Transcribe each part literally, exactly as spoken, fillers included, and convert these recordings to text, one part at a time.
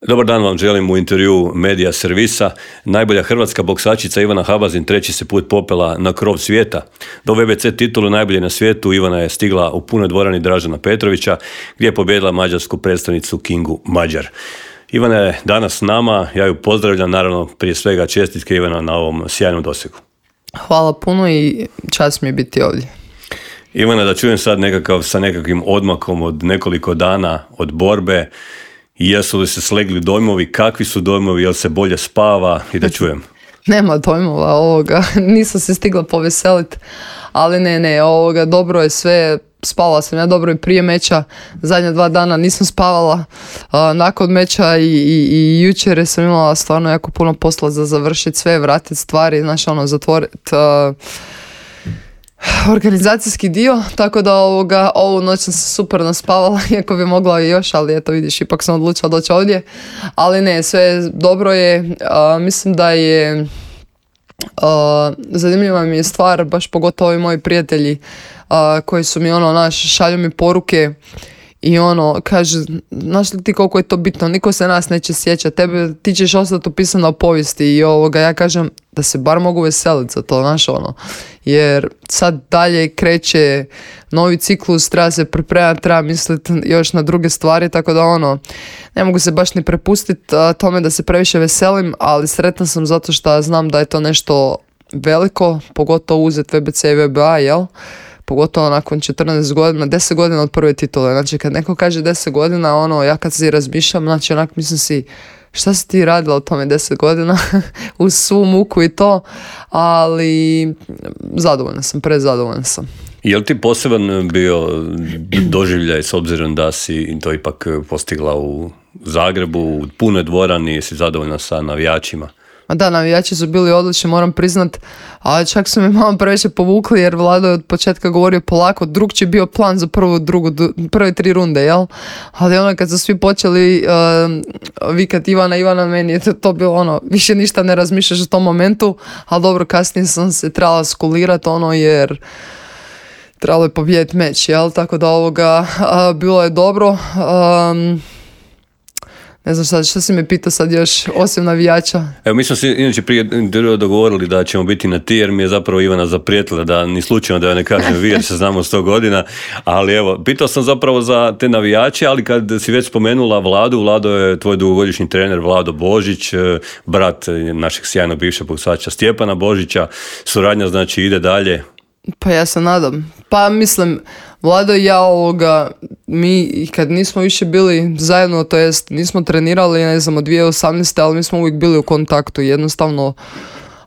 Dobar dan vam želim u intervju Medija servisa. Najbolja hrvatska boksačica Ivana Habazin treći se put popela na krov svijeta. Do V B C titulu najbolje na svijetu Ivana je stigla u punoj dvorani Dražena Petrovića gdje je pobijedila mađarsku predstavnicu Kingu Mađar. Ivana je danas s nama, ja ju pozdravljam, naravno prije svega čestitke Ivana na ovom sjajnom dosegu. Hvala puno i čast mi je biti ovdje. Ivana, da čujem sad nekakav, sa nekakvim odmakom od nekoliko dana od borbe, jesu li se slegli dojmovi, kakvi su dojmovi, jel se bolje spava i da čujem? Nema dojmova ovoga, nisam se stigla poveseliti, ali ne, ne, ovoga, dobro je sve, spavala sam ja dobro i prije meča, zadnja dva dana nisam spavala, a, nakon meča i, i, i jučer sam imala stvarno jako puno posla za završiti sve, vratiti stvari, znaš ono, zatvoriti organizacijski dio, tako da ovoga, ovu noć sam se super naspavala, iako bi mogla i još, ali eto vidiš, ipak sam odlučila doći ovdje, ali ne, sve dobro je, a, mislim da je a, zanimljiva mi je stvar, baš pogotovo i moji prijatelji a, koji su mi ono, naš, šalju mi poruke i ono, kaže, znaš li ti koliko je to bitno, niko se nas neće sjećati, tebe, ti ćeš ostati upisano u povijesti i ovoga, ja kažem da se bar mogu veseliti za to, znaš ono, jer sad dalje kreće novi ciklus, treba se pripremati, treba misliti još na druge stvari, tako da ono, ne mogu se baš ni prepustiti tome da se previše veselim, ali sretna sam zato što znam da je to nešto veliko, pogotovo uzeti V B C i V B A, jel? Pogotovo nakon četrnaest godina, deset godina od prve titule. Znači kad neko kaže deset godina, ono, ja kad si razmišljam, znači onak mislim si, šta si ti radila u tome deset godina, uz svu muku i to, ali zadovoljna sam, prezadovoljna sam. Je li ti poseban bio doživljaj s obzirom da si to ipak postigla u Zagrebu, u punoj dvorani, jesi zadovoljna sa navijačima? Ma da, navijači su bili odlični, moram priznat, ali čak su mi malo previše povukli jer Vlado je od početka govorio polako, drugčiji je bio plan za prvu, drugu, prve tri runde, jel? Ali ono kad su svi počeli uh, vikat Ivana, Ivana, meni je to, to bilo ono, više ništa ne razmišljaš u tom momentu, ali dobro, kasnije sam se trebala skulirati ono jer trebalo je pobijediti meč, jel? Tako da ovoga uh, bilo je dobro. Um, Ne znam šta, šta si me pitao sad još, osim navijača? Evo, mi smo se inače prije dogovorili da ćemo biti na ti, jer mi je zapravo Ivana zaprijetila da ni slučajno da ja ne kažem vi, jer se znamo sto godina, ali evo, pitao sam zapravo za te navijače, ali kad si već spomenula Vladu, Vlado je tvoj dugogodišnji trener Vlado Božić, brat našeg sjajnog bivšeg boksača Stjepana Božića, suradnja znači ide dalje. Pa ja se nadam. Pa mislim, Vlado i ja ovoga, mi kad nismo više bili zajedno, to jest nismo trenirali, ne znam, od dvije tisuće osamnaeste. ali mi smo uvijek bili u kontaktu. Jednostavno,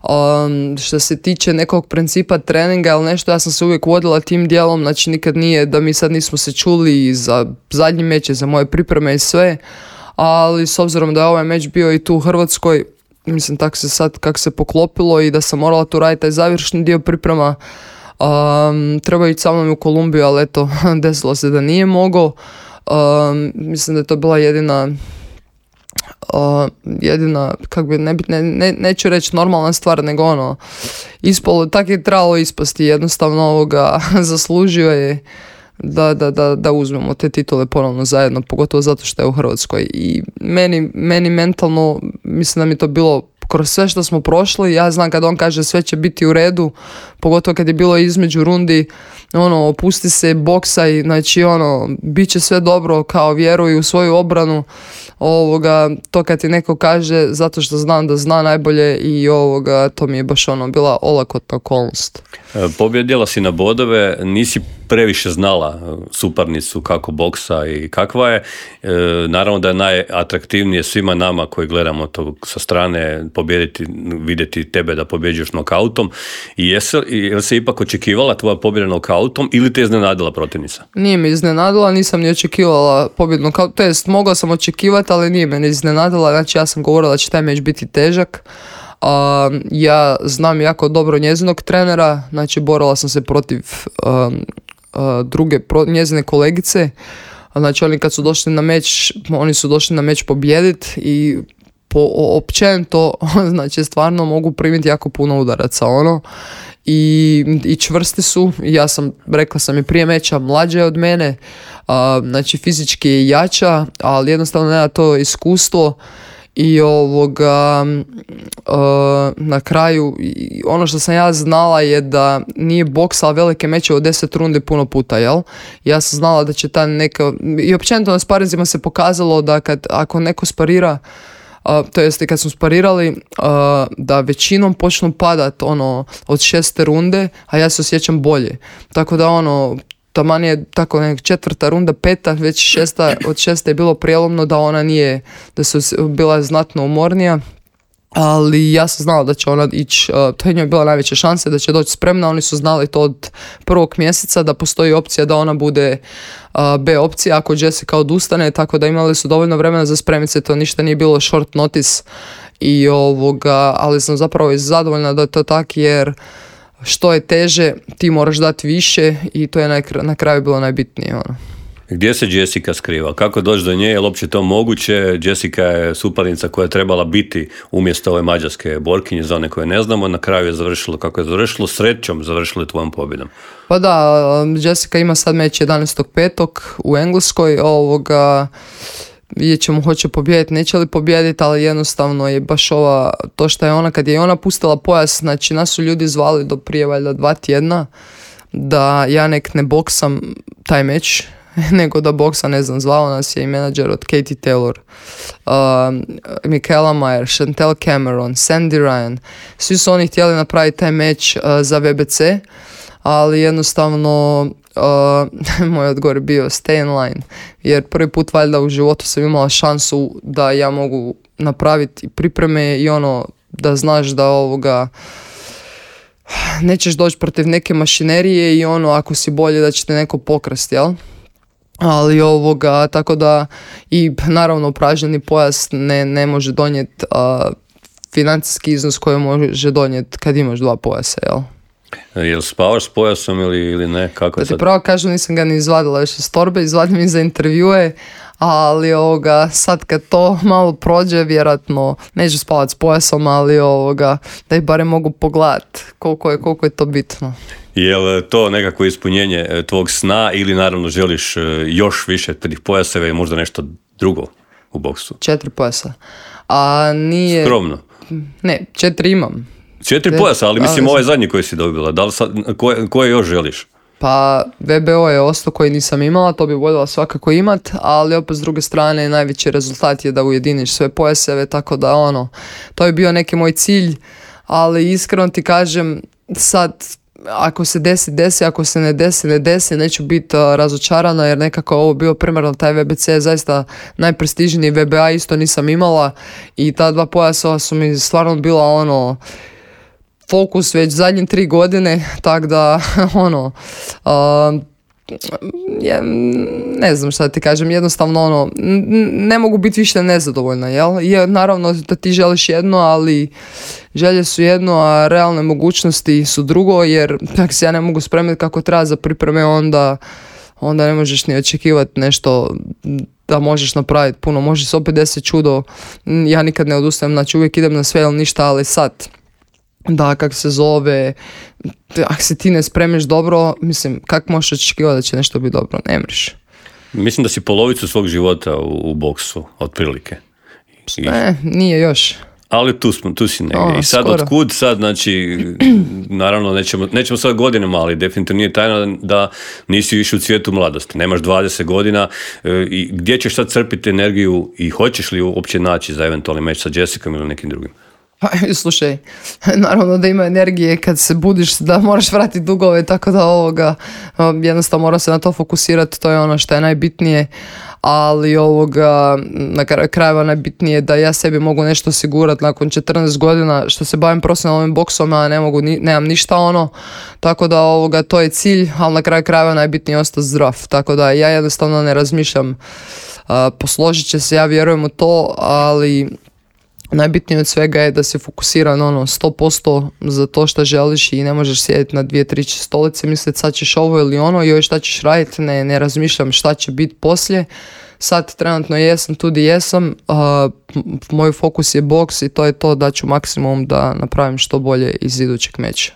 um, što se tiče nekog principa treninga ili nešto, ja sam se uvijek vodila tim dijelom, znači nikad nije da mi sad nismo se čuli za zadnji meč, za moje pripreme i sve, ali s obzirom da je ovaj meč bio i tu u Hrvatskoj, mislim tako se sad kako se poklopilo i da sam morala tu raditi taj završni dio priprema, Um, treba ići sa mnom u Kolumbiju, ali eto, desilo se da nije mogao. Um, mislim da je to bila jedina uh, jedina, kak bi, ne, ne, ne, neću reći normalna stvar, nego ono, ispalo, tako je trebalo ispasti, jednostavno ovoga zaslužio je da, da, da, da uzmemo te titule ponovno zajedno, pogotovo zato što je u Hrvatskoj. I meni, meni mentalno, mislim da mi to bilo kroz sve što smo prošli, ja znam kad on kaže sve će biti u redu, pogotovo kad je bilo između rundi, ono, opusti se, boksaj, znači ono, bit će sve dobro, kao vjeruj u svoju obranu, ovoga, to kad ti neko kaže, zato što znam da zna najbolje i ovoga, to mi je baš ono, bila olakotna okolnost. Pobjedila si na bodove, nisi previše znala suparnicu kako boksa i kakva je. E, naravno da je najatraktivnije svima nama koji gledamo to sa strane pobijediti, vidjeti tebe da pobjeđuješ nokautom. I jesi, jel se ipak očekivala tvoja pobjeda nokautom ili te iznenadila protivnica? Nije me iznenadila, nisam ni očekivala pobjedu nokautom, to jest mogla sam očekivati, ali nije me ni iznenadila, znači ja sam govorila da će taj meč biti težak. Uh, ja znam jako dobro njezinog trenera, znači borila sam se protiv um, uh, druge pro, njezine kolegice, znači oni kad su došli na meč, oni su došli na meč pobijediti i po općenito, znači stvarno mogu primiti jako puno udaraca, ono, i, i čvrsti su. Ja sam, rekla sam i prije meča, mlađa je od mene, a, znači fizički je jača, ali jednostavno nema to iskustvo. I ovoga, uh, na kraju, ono što sam ja znala je da nije boksala velike meče od deset rundi puno puta, jel? Ja sam znala da će ta neka, i općenito na sparinzima se pokazalo da kad, ako neko sparira, uh, to jest kad smo sparirali, uh, da većinom počnu padat ono, od šeste runde, a ja se osjećam bolje. Tako da ono, taman je tako nek četvrta runda, peta, već šesta, od šeste je bilo prijelomno da ona nije, da su bila znatno umornija, ali ja sam znala da će ona ići, uh, to je njoj bila najveća šansa da će doći spremna. Oni su znali to od prvog mjeseca da postoji opcija da ona bude uh, B opcija ako Jessica odustane, tako da imali su dovoljno vremena za spremiti se, to ništa nije bilo short notice i ovoga, ali sam zapravo zadovoljna da je to tak, jer što je teže, ti moraš dati više i to je na, na kraju bilo najbitnije. Ono. Gdje se Jessica skriva? Kako doći do nje? Je li uopće to moguće? Jessica je suparnica koja je trebala biti umjesto ove mađarske borkinje, za one koje ne znamo. Na kraju je završilo kako je završilo. Srećom završilo tvojom pobjedom. Pa da, Jessica ima sad meč jedanaestog petog u Engleskoj. Ovoga, vidjet ćemo hoće pobijediti, neće li pobijediti, ali jednostavno je baš ova, to što je ona, kad je ona pustila pojas, znači nas su ljudi zvali do prije valjda dva tjedna da ja nek ne boksam taj meč, nego da boksa, ne znam, zvao nas je i menadžer od Katie Taylor, uh, Michaela Mayer, Chantel Cameron, Sandy Ryan, svi su oni htjeli napraviti taj meč uh, za V B C, ali jednostavno uh, moj odgovor je bio stay in line, jer prvi put valjda u životu sam imala šansu da ja mogu napraviti pripreme i ono da znaš da ovoga nećeš doći protiv neke mašinerije i ono ako si bolje da će te neko pokrasti, jel? Ali ovoga, tako da i naravno pražnjeni pojas ne, ne može donijeti uh, financijski iznos koji može donijeti kad imaš dva pojasa, jel? Jel spavaš s pojasom ili, ili ne? Kako da ti pravo kažem, nisam ga ni izvadila još iz torbe, izvadim i za intervjue, ali ovoga, sad kad to malo prođe, vjerojatno neću spavati s pojasom, ali ovoga, da ih barem mogu pogledati koliko je, koliko je to bitno. Je li to nekako ispunjenje tvog sna ili naravno želiš još više tih pojaseva i možda nešto drugo u boksu? Četiri pojasa. A nije... Skromno. Ne, četiri imam. Četiri pojasa, ali mislim ovaj zadnji koji si dobila. Da li sad, koje, koje još želiš? Pa V B O je ostao koji nisam imala, to bi voljela svakako imat, ali opet s druge strane najveći rezultat je da ujediniš sve pojaseve, tako da ono, to je bio neki moj cilj, ali iskreno ti kažem, sad ako se desi, desi, ako se ne desi, ne desi, neću biti uh, razočarana jer nekako ovo bio primarno, taj V B C je zaista najprestižniji, V B A isto nisam imala i ta dva pojasa su mi stvarno bila ono fokus već zadnje tri godine, tako da ono uh, je, ne znam šta ti kažem, jednostavno ono ne mogu biti više nezadovoljna, jel? Je, naravno da ti želiš jedno, ali želje su jedno, a realne mogućnosti su drugo, jer ako se ja ne mogu spremiti kako treba za pripreme, onda onda ne možeš ni očekivati nešto da možeš napraviti puno, može se opet desiti čudo, ja nikad ne odustajem, znači uvijek idem na sve ili ništa, ali sad da, kak se zove, ako se ti ne spremiš dobro, mislim, kako možeš očekivati da će nešto biti dobro, ne mreš. Mislim da si polovicu svog života u, u boksu, otprilike. I... Ne, nije još. Ali tu, smo, tu si negdje. O, I sad skoro. otkud sad, znači, naravno nećemo, nećemo sad godinama, ali definitivno nije tajna da nisi više u cvijetu mladosti. Nemaš dvadeset godina e, i gdje ćeš sad crpiti energiju i hoćeš li uopće naći za eventualni meč sa Jessicom ili nekim drugim? Pa, slušaj, naravno da ima energije kad se budiš da moraš vratiti dugove, tako da ovoga, jednostavno moram se na to fokusirati, to je ono što je najbitnije, ali ovoga, na kraju krajeva najbitnije je da ja sebi mogu nešto osigurati nakon četrnaest godina što se bavim profesionalnim boksom, a ne mogu, nemam ništa ono, tako da ovoga, to je cilj, ali na kraju krajeva najbitnije je ostati zdrav, tako da ja jednostavno ne razmišljam, uh, posložit će se, ja vjerujem u to, ali najbitnije od svega je da si fokusiran ono sto posto za to što želiš i ne možeš sjediti na dvije, tri stolice, misliti sad ćeš ovo ili ono i joj šta ćeš raditi, ne, ne razmišljam šta će biti poslije. Sad trenutno jesam tu di jesam, uh, moj fokus je boks i to je to, da ću maksimum da napravim što bolje iz idućeg meča.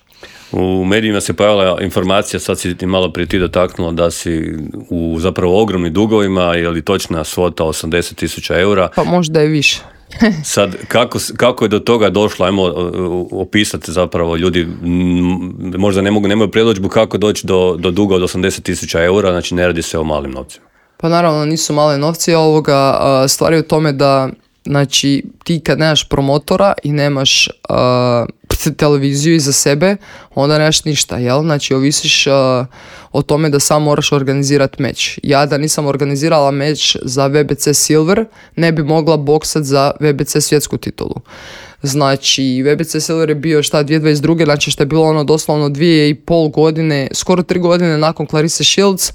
U medijima se pojavila informacija, sad si ti malo prije ti dotaknula da si u zapravo ogromnim dugovima, je li točna svota osamdeset tisuća eura? Pa možda je više. Sad, kako, kako je do toga došlo? Ajmo opisati zapravo, ljudi možda ne mogu, nemaju predodžbu kako doći do, do duga od osamdeset tisuća eura, znači ne radi se o malim novcima. Pa naravno nisu male novci, ovoga, stvar je u tome da znači ti kad nemaš promotora i nemaš uh, televiziju iza sebe, onda nemaš ništa, jel? Znači ovisiš uh, o tome da sam moraš organizirati meč. Ja da nisam organizirala meč za V B C Silver, ne bi mogla boksat za V B C svjetsku titulu. Znači, V B C Silver je bio šta dvije tisuće dvadeset druge, znači što je bilo ono doslovno dvije i pol godine, skoro tri godine nakon Clarisse Shields,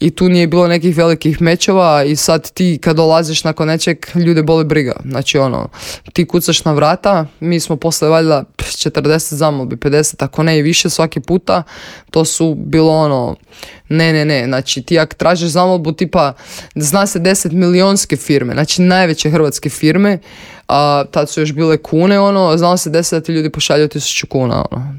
i tu nije bilo nekih velikih mečeva i sad ti kad dolaziš nakon nečeg, ljude boli briga. Znači ono, ti kucaš na vrata, mi smo posle valjda četrdeset zamolbi, pedeset, ako ne i više svaki puta, to su bilo ono, ne, ne, ne, znači ti ako tražiš zamolbu tipa, zna se deset milionske firme, znači najveće hrvatske firme, a tad su još bile kune, ono, znalo se deset da ti ljudi pošalju tisuću kuna, ono.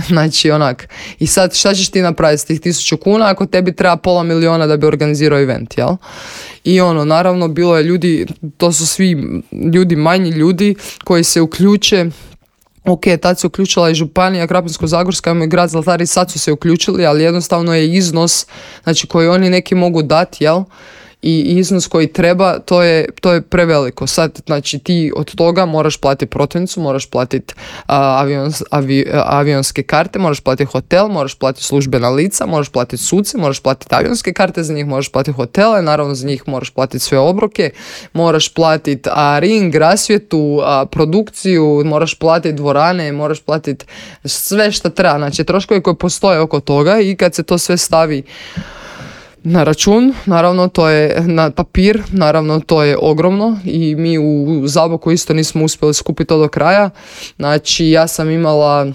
Znači onak, i sad šta ćeš ti napraviti s tih tisuću kuna ako tebi treba pola miliona da bi organizirao event, jel? I ono, naravno bilo je ljudi, to su svi ljudi, manji ljudi koji se uključe. Ok, tad se uključila i županija Krapinsko-zagorska i grad Zlatar i sad su se uključili, ali jednostavno je iznos, znači koji oni neki mogu dati, jel? I iznos koji treba, to je, to je preveliko. Sad, znači, ti od toga moraš platiti protivnicu, moraš platiti uh, avions, avi, uh, avionske karte, moraš platiti hotel, moraš platiti službena lica, moraš platiti suce, moraš platiti avionske karte za njih, moraš platiti hotele, naravno za njih moraš platiti sve obroke, moraš platiti uh, ring, rasvjetu, uh, produkciju, moraš platiti dvorane, moraš platiti sve što treba. Znači, troškovi koji postoje oko toga i kad se to sve stavi na račun, naravno to je na papir, naravno to je ogromno i mi u Zaboku isto nismo uspjeli skupiti to do kraja. Znači ja sam imala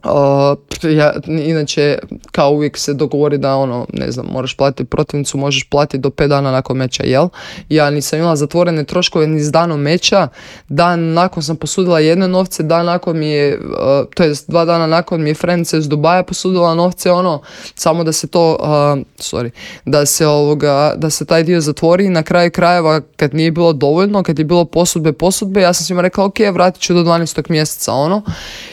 Uh, ja, inače kao uvijek se dogovori da ono, ne znam, moraš platiti protivnicu, možeš platiti do pet dana nakon meča, jel? Ja nisam imala zatvorene troškove ni s danom meča, dan nakon sam posudila jedne novce, dan nakon mi je, uh, to jest dva dana nakon mi je friendica iz Dubaja posudila novce, ono, samo da se to, uh, sorry, da se ovoga, da se taj dio zatvori. Na kraju krajeva kad nije bilo dovoljno, kad je bilo posudbe, posudbe, ja sam svima rekla ok, vratit ću do dvanaestog mjeseca, ono,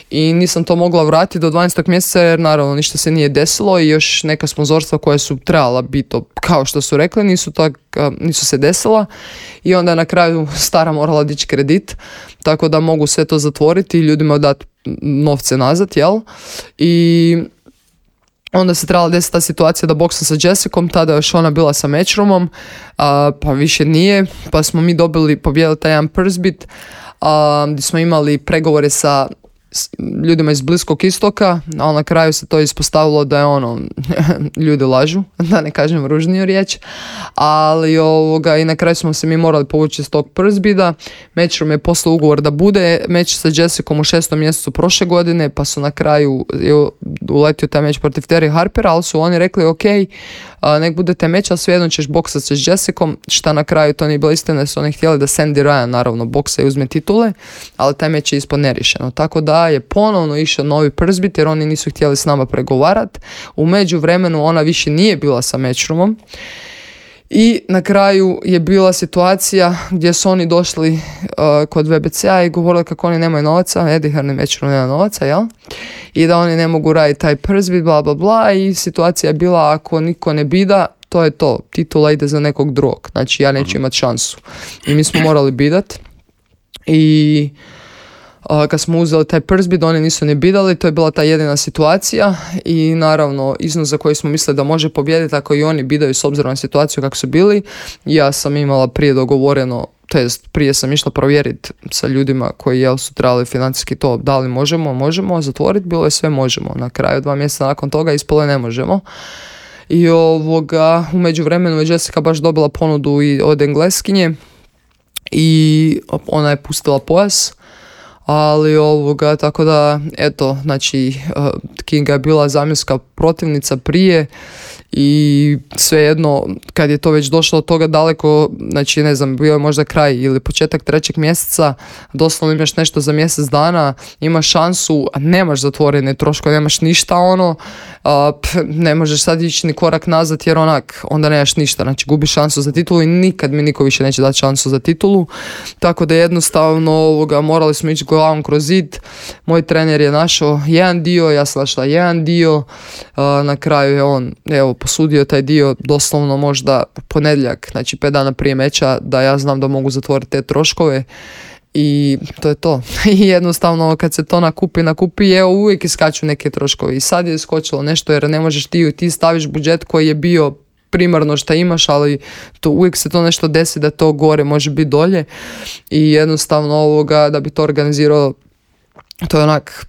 i nisam to mogla vratiti do dvanaestog mjeseca jer naravno ništa se nije desilo i još neka sponzorstva koja su trebala biti kao što su rekli nisu, tak, nisu se desila i onda je na kraju stara morala dići kredit tako da mogu sve to zatvoriti i ljudima dati novce nazad, jel? I onda se trebala desiti ta situacija da boksam sa Jessicom, tada još ona bila sa Matchroomom, a, pa više nije, pa smo mi dobili, pobijedili taj jedan purse bid, a, gdje smo imali pregovore sa ljudima iz Bliskog istoka, ali na kraju se to ispostavilo da je ono, ljudi lažu, da ne kažem ružniju riječ, ali ovoga, i na kraju smo se mi morali povući iz tog purse bida. Matchroom je poslao ugovor da bude meč sa Jessicom u šestom mjesecu prošle godine, pa su na kraju uletio taj meč protiv Terry Harpera, ali su oni rekli ok, a, nek bude taj meč, ali svejedno ćeš boksati sa Jessicom, šta na kraju to nije bilo istina, su oni htjeli da Sandy Ryan naravno boksa i uzme titule, ali taj meč je ispod nerišeno, tako da je ponovno išao novi purse bid jer oni nisu htjeli s nama pregovarati. U međuvremenu ona više nije bila sa Matchroomom i na kraju je bila situacija gdje su oni došli uh, kod V B C-a i govorili kako oni nemaju novaca, Eddie Hearn i Matchroom nema novaca, jel? I da oni ne mogu raditi taj purse bid, bla bla bla, i situacija je bila ako niko ne bida, to je to, titula ide za nekog drugog, znači ja neću imati šansu. I mi smo morali bidat i Uh, kad smo uzeli taj purse bid, oni nisu ni bidali, to je bila ta jedina situacija i naravno iznos za koji smo mislili da može pobijediti ako i oni bidaju s obzirom na situaciju kako su bili. Ja sam imala prije dogovoreno, to jest prije sam išla provjeriti sa ljudima koji jel su trebali financijski to, da li možemo, možemo zatvoriti, bilo je sve možemo. Na kraju dva mjeseca nakon toga ispalo ne možemo. I ovoga, u međuvremenu je Jessica baš dobila ponudu i od Engleskinje i ona je pustila pojas. Ali ovoga, tako da, eto, znači, uh, Kinga je bila zamjenska protivnica prije i svejedno kad je to već došlo od toga daleko, znači ne znam, bio je možda kraj ili početak trećeg mjeseca, doslovno imaš nešto za mjesec dana, imaš šansu, a nemaš zatvorene troškove, nemaš ništa ono, a, pf, ne možeš sad ići ni korak nazad jer onak, onda nemaš ništa, znači gubiš šansu za titulu i nikad mi niko više neće dati šansu za titulu, tako da jednostavno ovoga, morali smo ići glavom kroz zid. Moj trener je našao jedan dio, ja sam našla jedan dio, a, na kraju je on, evo, posudio taj dio doslovno možda ponedjeljak, znači pet dana prije meča, da ja znam da mogu zatvoriti te troškove i to je to. I jednostavno kad se to nakupi, nakupi, evo uvijek iskaču neke troškove i sad je iskočilo nešto jer ne možeš ti, ti staviš budžet koji je bio primarno što imaš, ali to, uvijek se to nešto desi da to gore može biti dolje i jednostavno ovoga da bi to organizirao, to je onak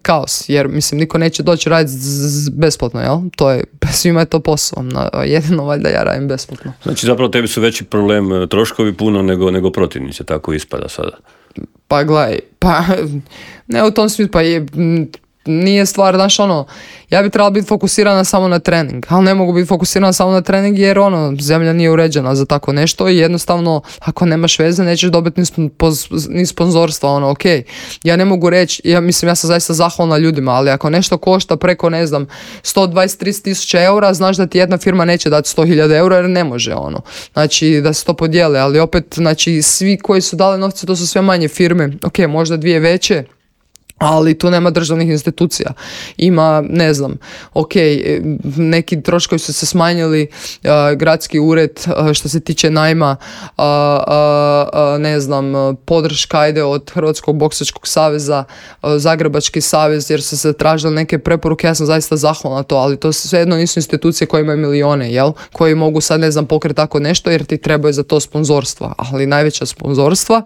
kaos, jer mislim niko neće doći raditi z- z- besplatno, jel? To je, svima je to posao, no, jedino valjda ja radim besplatno. Znači zapravo tebi su veći problem troškovi puno nego, nego protivnice, tako ispada sada. Pa gledaj, pa ne u tom smislu, pa je, nije stvar, znaš ono, ja bi trebala biti fokusirana samo na trening, ali ne mogu biti fokusirana samo na trening jer ono, zemlja nije uređena za tako nešto i jednostavno ako nemaš veze nećeš dobiti ni, sponz, ni sponzorstva, ono, ok, ja ne mogu reći, ja mislim, ja sam zaista zahvalna ljudima, ali ako nešto košta preko, ne znam, sto dvadeset do trideset tisuća eura, znaš da ti jedna firma neće dati sto hiljada eura jer ne može, ono, znači da se to podijele, ali opet, znači svi koji su dali novce, to su sve manje firme, ok, možda dvije veće, ali tu nema državnih institucija. Ima, ne znam, ok, neki troškovi su se smanjili, uh, gradski ured uh, što se tiče najma, uh, uh, uh, ne znam, podrška ide od Hrvatskog boksačkog saveza, uh, Zagrebački savez, jer su se tražile neke preporuke, ja sam zaista zahvalna na to, ali to svejedno nisu institucije koje imaju milijone, jel? Koji mogu sad, ne znam, pokriti tako nešto, jer ti trebaju za to sponzorstva, ali najveća sponzorstva,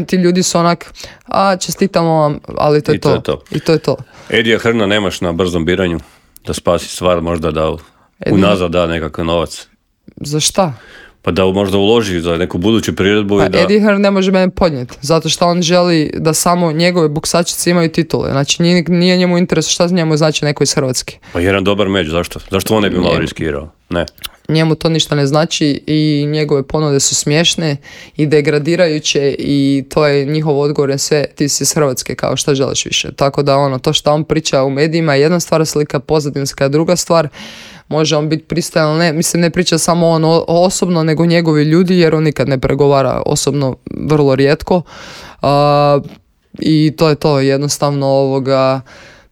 ti ljudi su onak, a čestitamo vam, ali to je I to, to. je to. I to je to. Edija Hrna nemaš na brzom biranju da spasi stvar, možda da Edi... unazad da nekakav novac. Za šta? Pa da možda uloži za neku buduću priredbu. Pa i da... Eddie Hearn ne može mene podnijeti, zato što on želi da samo njegove boksačice imaju titule. Znači nije, nije njemu interes šta njemu znači neko iz Hrvatske. Pa jedan dobar meč, zašto? Zašto on ne bi malo riskirao? Ne. Njemu to ništa ne znači i njegove ponude su smiješne i degradirajuće i to je njihov odgovor na sve, ti si iz Hrvatske, kao šta želiš više. Tako da ono, to što on priča u medijima je jedna stvar, slika pozadinska, druga stvar, može on biti pristajan, ne, mislim ne priča samo on osobno, nego njegovi ljudi, jer on nikad ne pregovara osobno, vrlo rijetko. Uh, I to je to, jednostavno ovoga,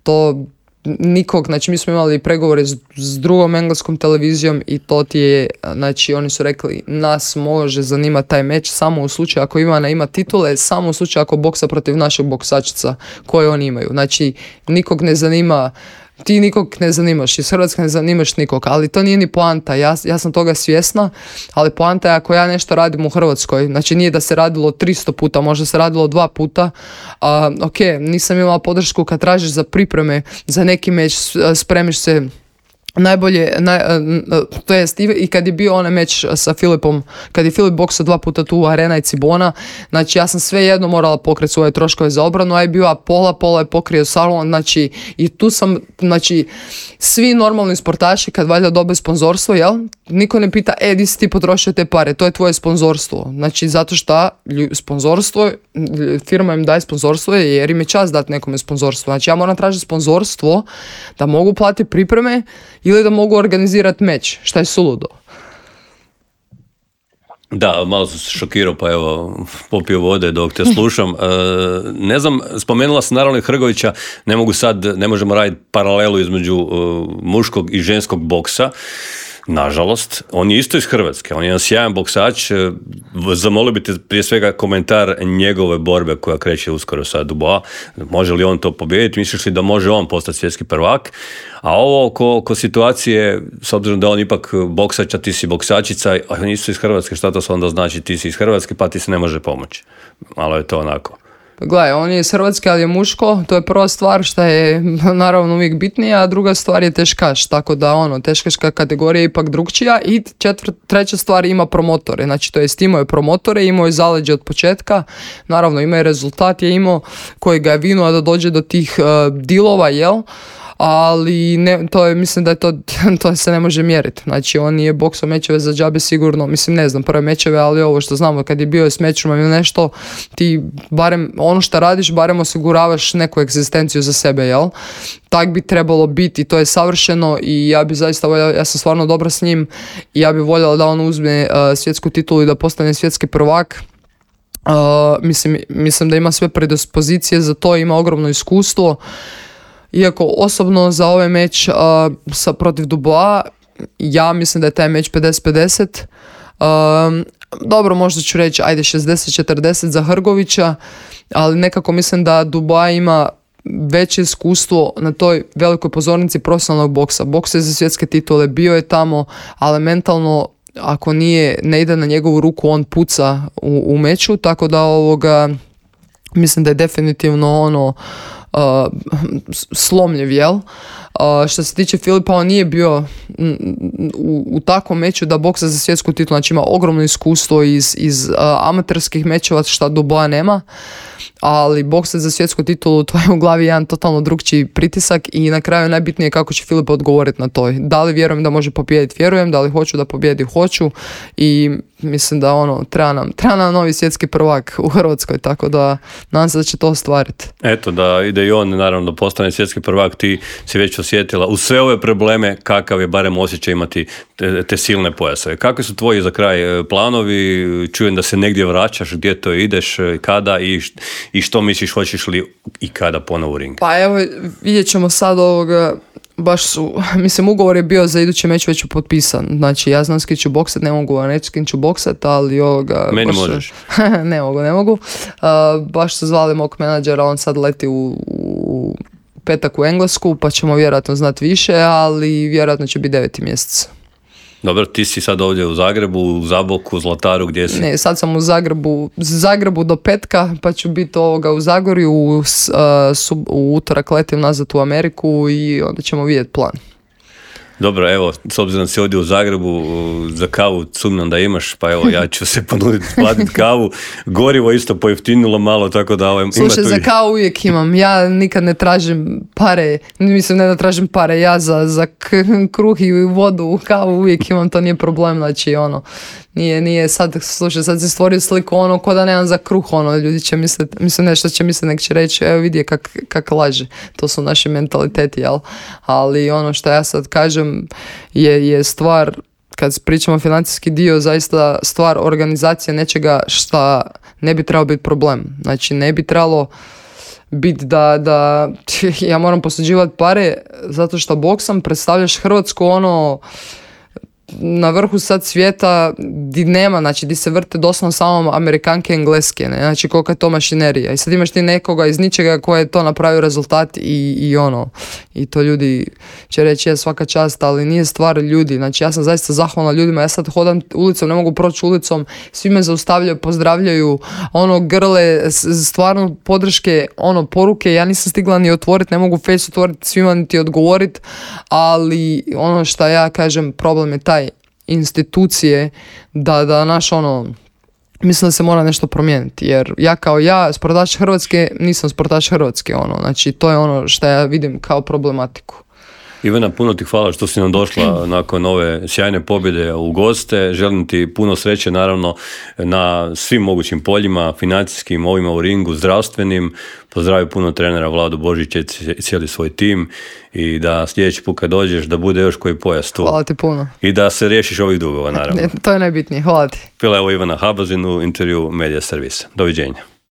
to nikog, znači mi smo imali pregovore s, s drugom engleskom televizijom i to ti je, znači oni su rekli nas može zanimati taj meč samo u slučaju ako Ivana ima titule, samo u slučaju ako boksa protiv našeg boksačica koje oni imaju, znači nikog ne zanima, ti nikog ne zanimaš, iz Hrvatske ne zanimaš nikog, ali to nije ni poanta, ja, ja sam toga svjesna, ali poanta je ako ja nešto radim u Hrvatskoj, znači nije da se radilo tristo puta, možda se radilo dva puta, a, ok, nisam imala podršku kad tražiš za pripreme, za neki meč, spremiš se najbolje, naj, to jest i kad je bio onaj meč sa Filipom, kad je Filip boksao dva puta tu u Arena i Cibona, znači ja sam sve jedno morala pokriti svoje troškove za obranu, a je bio pola, pola je pokrio salon, znači i tu sam, znači svi normalni sportaši kad valjda dobe sponzorstvo, jel, niko ne pita, e, di si ti potrošio te pare, to je tvoje sponzorstvo, znači zato što sponzorstvo, firma im daje sponzorstvo jer im je čast dati nekome sponzorstvo, znači ja moram tražiti sponzorstvo da mogu platiti pripreme ili da mogu organizirati meč, šta je suludo. Da, malo sam se šokirao, pa evo, popio vode dok te slušam. E, ne znam, spomenula sam naravno i Hrgovića, ne mogu sad, ne možemo raditi paralelu između uh, muškog i ženskog boksa. Nažalost, on je isto iz Hrvatske, on je jedan sjajan boksač, zamolio bi te prije svega komentar njegove borbe koja kreće uskoro sa Dubois, može li on to pobijediti, misliš li da može on postati svjetski prvak, a ovo oko, oko situacije, s obzirom da on ipak boksač, a ti si boksačica, a on isto iz Hrvatske, šta to se onda znači, ti si iz Hrvatske pa ti se ne može pomoći, malo je to onako. Gledaj, on je iz Hrvatske, ali je muško, to je prva stvar što je naravno uvijek bitnija, a druga stvar je teškaš, tako da ono, teškaška kategorija je ipak drugčija i četvrt, treća stvar ima promotore, znači to jest imao je promotore, imao je zaleđe od početka, naravno ima je rezultat je imao koji ga je vinuo da dođe do tih uh, dilova, jel? ali ne, to je, mislim da je to, to se ne može mjeriti. Znači, on nije boksao mečeve za džabe sigurno, mislim, ne znam, prve mečeve, ali ovo što znamo, kad je bio s mečom ili nešto, ti barem, ono što radiš, barem osiguravaš neku egzistenciju za sebe, jel? Tak bi trebalo biti, to je savršeno i ja bi zaista voljela, ja sam stvarno dobra s njim i ja bi voljela da on uzme uh, svjetsku titulu i da postane svjetski prvak. Uh, mislim, mislim da ima sve predispozicije za to, ima ogromno iskustvo. Iako osobno za ovaj meč uh, sa protiv Dubois, ja mislim da je taj meč pedeset pedeset. Uh, dobro, možda ću reći ajde šezdeset četrdeset za Hrgovića, ali nekako mislim da Dubois ima veće iskustvo na toj velikoj pozornici profesionalnog boksa. Boks je za svjetske titule, bio je tamo, ali mentalno ako nije, ne ide na njegovu ruku, on puca u, u meču, tako da ovoga mislim da je definitivno ono uh, slomljiv, jel? Uh, što se tiče Filipa, on nije bio u, u takvom meču da boksa za svjetsku titulu, znači ima ogromno iskustvo iz, iz uh, amaterskih mečeva, šta Dubois nema, ali boksa za svjetsku titulu, to je u glavi jedan totalno drugčiji pritisak i na kraju najbitnije je kako će Filip odgovoriti na to. Da li vjerujem da može pobijediti, vjerujem, da li hoću da pobijedi, hoću i mislim da ono, treba nam, treba nam novi svjetski prvak u Hrvatskoj, tako da nadam se da će to ostvariti. Eto, da ide i on, naravno, da postane svjetski prvak, ti si već osjetila u sve ove probleme kakav je barem osjećaj imati te, te silne pojasove. Kakvi su tvoji za kraj planovi? Čujem da se negdje vraćaš, gdje to ideš, kada i, i što misliš, hoćeš li i kada ponovo u ring? Pa evo, vidjet ćemo sad ovoga, baš su, mislim, ugovor je bio za idući meč već potpisan, znači ja znam s kim ću boksat, ne mogu vam reći s kim ću boksat, ali ovoga... Meni baš, možeš. ne mogu, ne mogu. Uh, baš su zvali mog menadžera, on sad leti u, u petak u Englesku, pa ćemo vjerojatno znati više, ali vjerojatno će biti deveti mjesec. Dobro, ti si sad ovdje u Zagrebu, u Zaboku, u Zlataru, gdje si? Ne, sad sam u Zagrebu, Zagrebu do petka, pa ću biti ovoga u Zagorju, u, uh, sub, u utorak letim nazad u Ameriku i onda ćemo vidjeti plan. Dobro, evo, s obzirom da si ovdje u Zagrebu, za kavu sumnjam da imaš, pa evo, ja ću se ponuditi platiti kavu. Gorivo isto pojeftinilo malo, tako da... Ovaj, Slušaj, ima za i... kavu uvijek imam. Ja nikad ne tražim pare, mislim ne da tražim pare, ja za, za k- kruh i vodu, kavu uvijek imam, to nije problem, znači ono... Nije, nije, sad, slušaj, sad se stvorio sliku ono, ko da nemam za kruh, ono, ljudi će misliti, mislim nešto će misliti, nek će reći, evo vidi kak, kak laže, to su naši mentaliteti, jel? Ali ono što ja sad kažem je, je stvar, kad pričamo financijski dio, zaista stvar organizacije nečega šta ne bi trebalo biti problem, znači ne bi trebalo biti da, da ja moram posuđivati pare zato što boksam, predstavljaš Hrvatsku ono na vrhu sad svijeta di nema, znači di se vrte doslovno samo Amerikanke i Engleske, ne? Znači kolika je to mašinerija i sad imaš ti nekoga iz ničega koji je to napravio rezultat i, i ono, i to ljudi će reći je svaka čast, ali nije stvar ljudi, znači ja sam zaista zahvalna ljudima, ja sad hodam ulicom, ne mogu proći ulicom, svi me zaustavljaju, pozdravljaju, ono grle, stvarno podrške, ono poruke, ja nisam stigla ni otvoriti, ne mogu face otvoriti, svima niti odgovoriti, ali ono što ja kažem, problem je taj institucije da, da naš ono, mislim da se mora nešto promijeniti, jer ja kao ja, sportaš Hrvatske, nisam sportaš Hrvatske, ono, znači to je ono što ja vidim kao problematiku. Ivana, puno ti hvala što si nam došla nakon ove sjajne pobjede u goste. Želim ti puno sreće, naravno, na svim mogućim poljima, financijskim, ovima u ringu, zdravstvenim. Pozdravim puno trenera Vladu Božića i cijeli svoj tim i da sljedeći put kad dođeš da bude još koji pojas tu. Hvala ti puno. I da se riješiš ovih dugova, naravno. To je najbitnije. Hvala ti. Bila je ovo Ivana Habazin u intervju Medija servisa. Doviđenja.